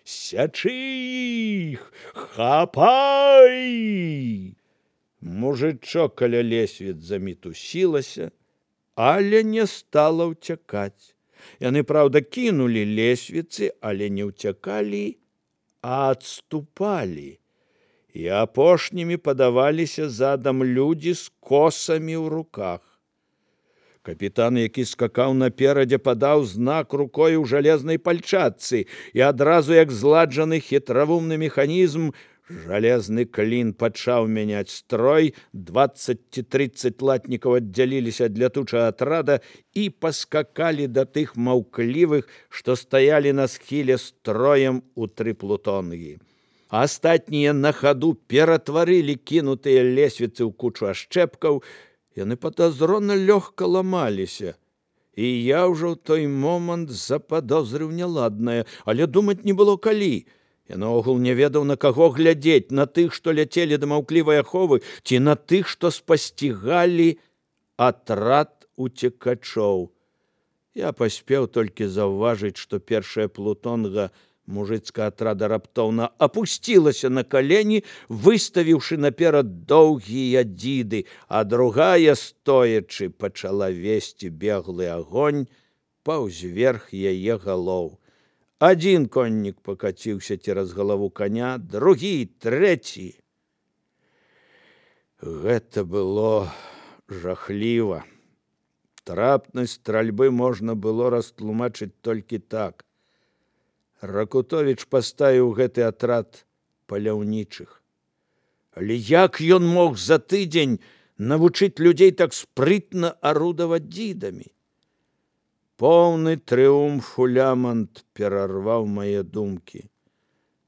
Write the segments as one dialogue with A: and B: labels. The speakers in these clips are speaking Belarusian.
A: Сячы іх! Хапай! Мужычок каля лесвіц замітусілася, але не стала ўцякаць. Яны, праўда, кінулі лесвіцы, але не ўцякалі, а адступалі. І апошнімі падаваліся задам людзі з косамі ў руках. Капітан, які скакаў наперадзе, падаў знак рукой у жалезнай пальчатцы, і адразу, як зладжаны хітравумны механізм, жалезны клін пачаў мяняць строй, 20 ці 30 латнікаў аддзяліліся ад лятучага атрада і паскакалі да тых маўклівых, што стаялі на схіле строем у 3 плутонгі. А астатнія на хаду ператварылі кінутыя лесвіцы ў кучу ашчэпкаў. Яны падазрона лёгка ламаліся, і я ўжо ў той момант западозрыў няладнае, але думаць не было калі. Я наогул не ведаў, на каго глядзець, на тых, што ляцелі да маўклівай аховы, ці на тых, што спасцігалі атрад уцекачоў. Я паспеў толькі заўважыць, што першая плутонга мужыцкага атрада раптоўна апусцілася на калені, выставіўшы наперад доўгія дзіды, а другая, стоячы, пачала весці беглы агонь паўзверх яе галоў. Адзін коннік пакаціўся цераз галаву коня, другі, трэці. Гэта было жахліва. Трапнасць стральбы можна было растлумачыць толькі так. Ракутовіч паставіў гэты атрад паляўнічых. Але як ён мог за тыдзень навучыць людзей так спрытна арудаваць дзідамі? Поўны трыумфу лямант перарваў мае думкі.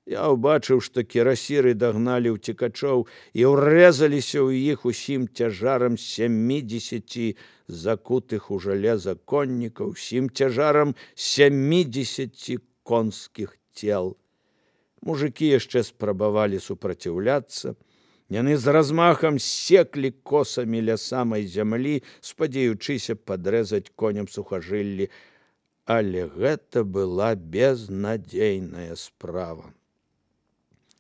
A: Я ўбачыў, што кірасіры дагналі ўцекачоў і ўрэзаліся ў іх усім цяжарам 70 закутых у жалеза коннікаў, усім цяжарам 70 конскіх цел. Мужыкі яшчэ спрабавалі супраціўляцца. Яны з размахам секлі косамі ля самай зямлі, спадзеючыся падрэзаць коням сухажыллі. Але гэта была безнадзейная справа.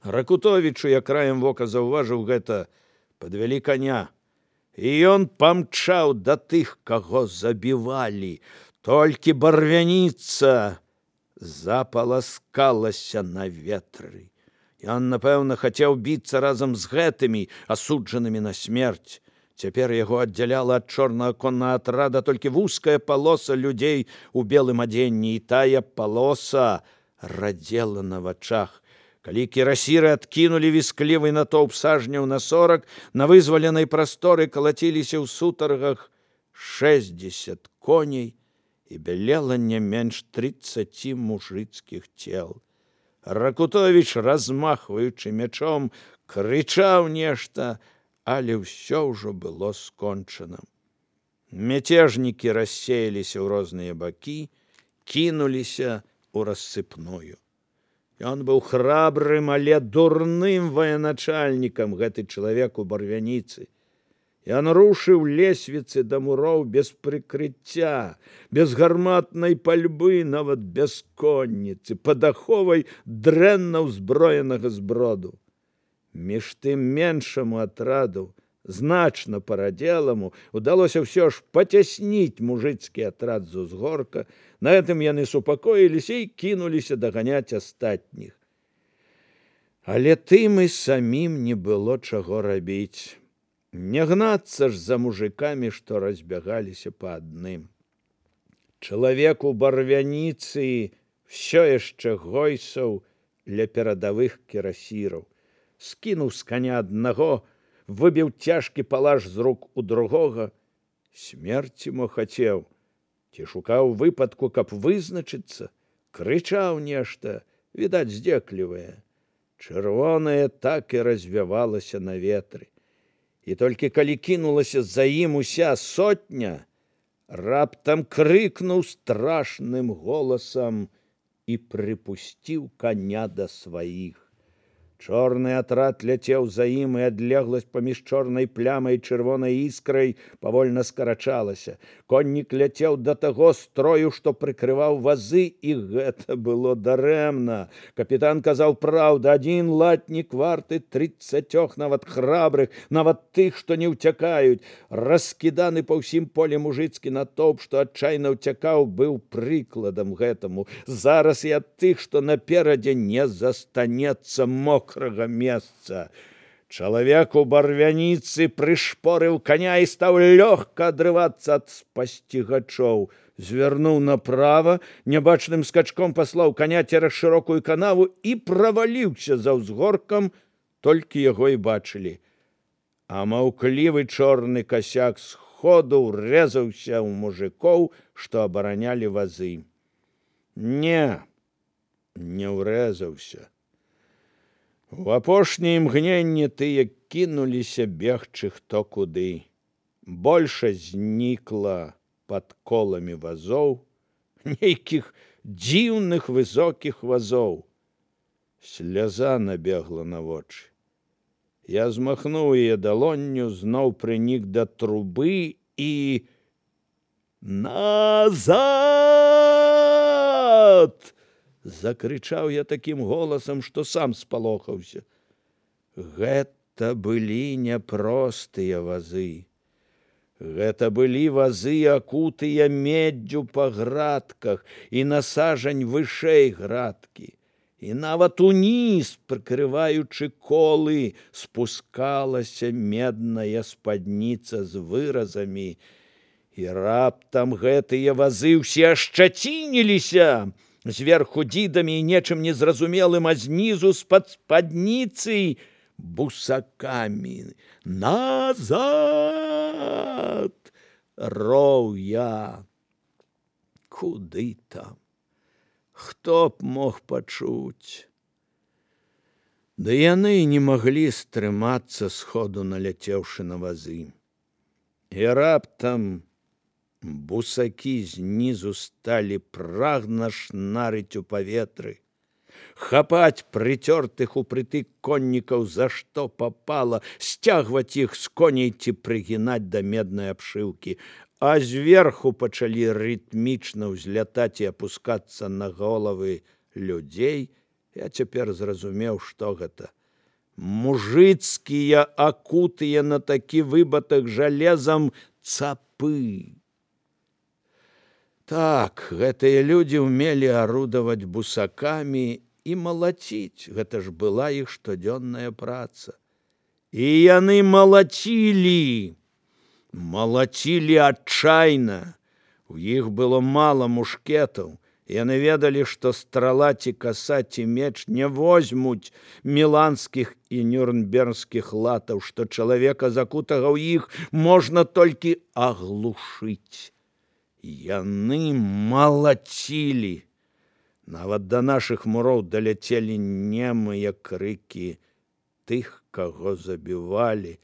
A: Ракутовічу, я краем вока заўважыў гэта, падвялі коня. І ён памчаў да тых, каго забівалі. Толькі барвяніца запаласкалася на ветры. Ён, напэўна, хацеў біцца разам з гэтымі, асуджанымі на смерць. Цяпер яго аддзяляла ад чорнага коннага атрада толькі вузкая палоса людзей у белым адзенні, і тая палоса радзела на вачах. Калі кірасіры адкінулі вісклівы натоўп сажняў на 40, на вызваленай прасторы калаціліся ў сутаргах 60 коней, і бялела не менш 30 мужыцкіх цел. Ракутовіч, размахваючы мячом, крычаў нешта, але ўсё ўжо было скончана. Мяцежнікі рассеяліся ў розныя бакі, кінуліся ў рассыпную. Ён быў храбрым, але дурным военачальнікам, гэты чалавек у барвяніцы. Ён рушыў лесвіцы да муроў без прыкрыцця, без гарматнай пальбы, нават без конніцы, пад аховай дрэнна ўзброенага зброду. Між тым меншаму атраду, значна парадзеламу, удалося ўсё ж пацясніць мужыцкі атрад з узгорка. На гэтым яны супакоіліся і кінуліся даганяць астатніх. Але тым і самім не было чаго рабіць. Не гнацца ж за мужикамі, што разбягаліся па адным. Чалавек у барвяніцы ўсё яшчэ гойсаў ля перадавых кірасіраў. Скінуў з коня аднаго, выбіў цяжкі палаш з рук у другога. Смерці мо хацеў, ці шукаў выпадку, каб вызначыцца, крычаў нешта, відаць, здзеклівае. Чырвонае так і развявалася на ветры. І толькі калі кінулася за ім уся сотня, раптам крыкнуў страшным голасам і прыпусціў коня да сваіх. Чорны атрад ляцеў за ім, і адлегласць паміж чорнай плямай і чырвонай іскрай павольна скарачалася. Коннік ляцеў да таго строю, што прыкрываў вазы, і гэта было дарэмна. Капітан казаў праўду, адзін латнік варты 30 нават храбрых, нават тых, што не ўцякаюць. Раскіданы па ўсім полі мужыцкі натоўп, што адчайна ўцякаў, быў прыкладам гэтаму. Зараз і ад тых, што наперадзе, не застанецца мокрага месца. Чалавек у барвяніцы прышпорыў каня і стаў лёгка адрывацца ад спасцігачоў. Звярнуў направа, нябачным скачком паслаў каня цераз шырокую канаву і праваліўся за ўзгоркам, толькі яго і бачылі. А маўклівы чорны касяк сходу ўрэзаўся ў мужикоў, што абаранялі вазы. Не ўрэзаўся. У апошняе імгненне тыя кінуліся бегчы хто куды. Большасць знікла пад коламі вазоў, нейкіх дзіўных высокіх вазоў. Сляза набегла на вочы. Я змахнуў яе далонню, зноў прынік да трубы і... «Назад!» Закрычаў я такім голасам, што сам спалохаўся. Гэта былі няпростыя вазы. Гэта былі вазы, акутыя меддзю па градках і на сажань вышэй градкі. І нават уніз, прыкрываючы колы, спускалася медная спадніца з выразамі. І раптам гэтыя вазы ўсе ашчацініліся. Зверху дзідамі і нечым незразумелым, а знізу з-пад спадніцы бусакамі. «Назад!» роў я. Куды там? Хто б мог пачуць? Да яны не маглі стрымацца, сходу наляцеўшы на вазы. І раптам бусакі знізу сталі прагна шнарыць у паветры, хапаць прыцёртых упрытык коннікаў за што папала, сцягваць іх з коней ці прыгінаць да меднай абшыўкі, а зверху пачалі рытмічна ўзлятаць і апускацца на головы людзей. Я цяпер зразумеў, што гэта. Мужыцкія, акутыя на такі выбатых жалезам цапы. Так, гэтыя людзі ўмелі арудаваць бусакамі і малаціць. Гэта ж была іх штодзённая праца. І яны малацілі. Малацілі адчайна. У іх было мала мушкетаў. Яны ведалі, што страла ці каса ці меч не возьмуць міланскіх і нюрнбергскіх латаў, што чалавека, закутага ў іх, можна толькі аглушыць. Яны малацілі. Нават да нашых муроў даляцелі немыя крыкі тых, каго забівалі,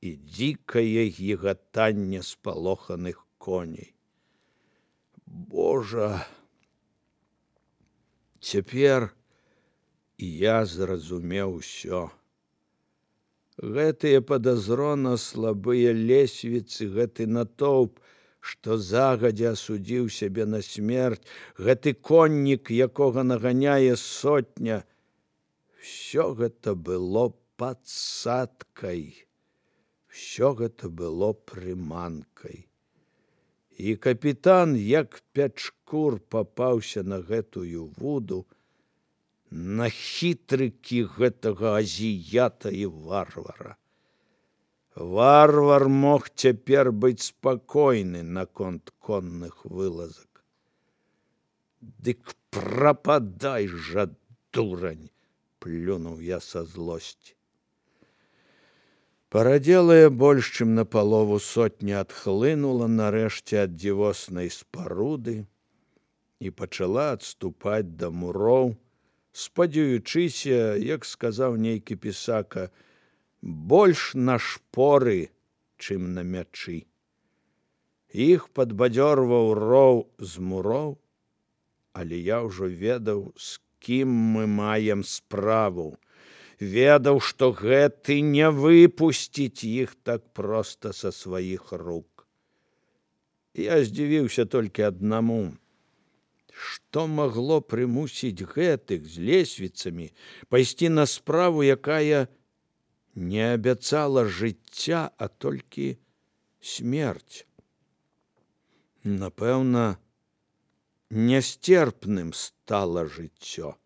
A: і дзікае гігатанне спалоханых коней. Божа! Цяпер я зразумеў усё. Гэтыя падазрона слабыя лесвіцы, гэты натоўп, што загадзя асудзіў сябе на смерць, гэты коннік, якога наганяе сотня, всё гэта было падсадкай, всё гэта было прыманкай. І капітан, як пячкур, папаўся на гэтую вуду, на хітрыкі гэтага азіята і варвара. Варвар мог цяпер быць спакойны наконт конных вылазак. Дык прападай жа, дурань! Плюнуў я са злосці. Парадзелая больш, чым напалову сотня адхлынула нарэшце ад дзівоснай спаруды і пачала адступаць да муроў, спадзяючыся, як сказаў нейкі пісака, больш на шпоры, чым на мячы. Іх падбадзёрваў роў з муроў, але я ўжо ведаў, з кім мы маем справу. ведаў, што гэты не выпусціць іх так проста са сваіх рук. Я здзівіўся толькі аднаму. Што магло прымусіць гэтых з лесвіцамі пайсці на справу, якая не абяцала жыцця, а толькі смерць? Напэўна, нясцерпным стала жыццё.